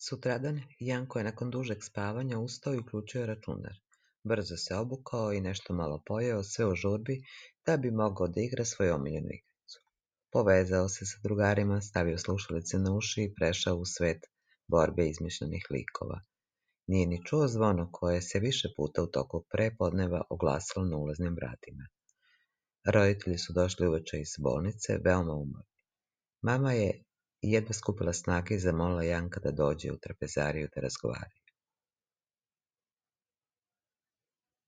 Sutradan, Janko je nakon dužeg spavanja ustao i uključio računar. Brzo se obukao i nešto malo pojeo, sve u žurbi, da bi mogao da igra svoju omiljenu igricu. Povezao se sa drugarima, stavio slušalice na uši i prešao u svet borbe izmišljenih likova. Nije ni čuo zvono koje se više puta u toku prepodneva oglasilo na ulaznim vratima. Roditelji su došli uveče iz bolnice, veoma umorni. Mama je jedva skupila snage i zamolila Janka da dođe u trpezariju da razgovaraju.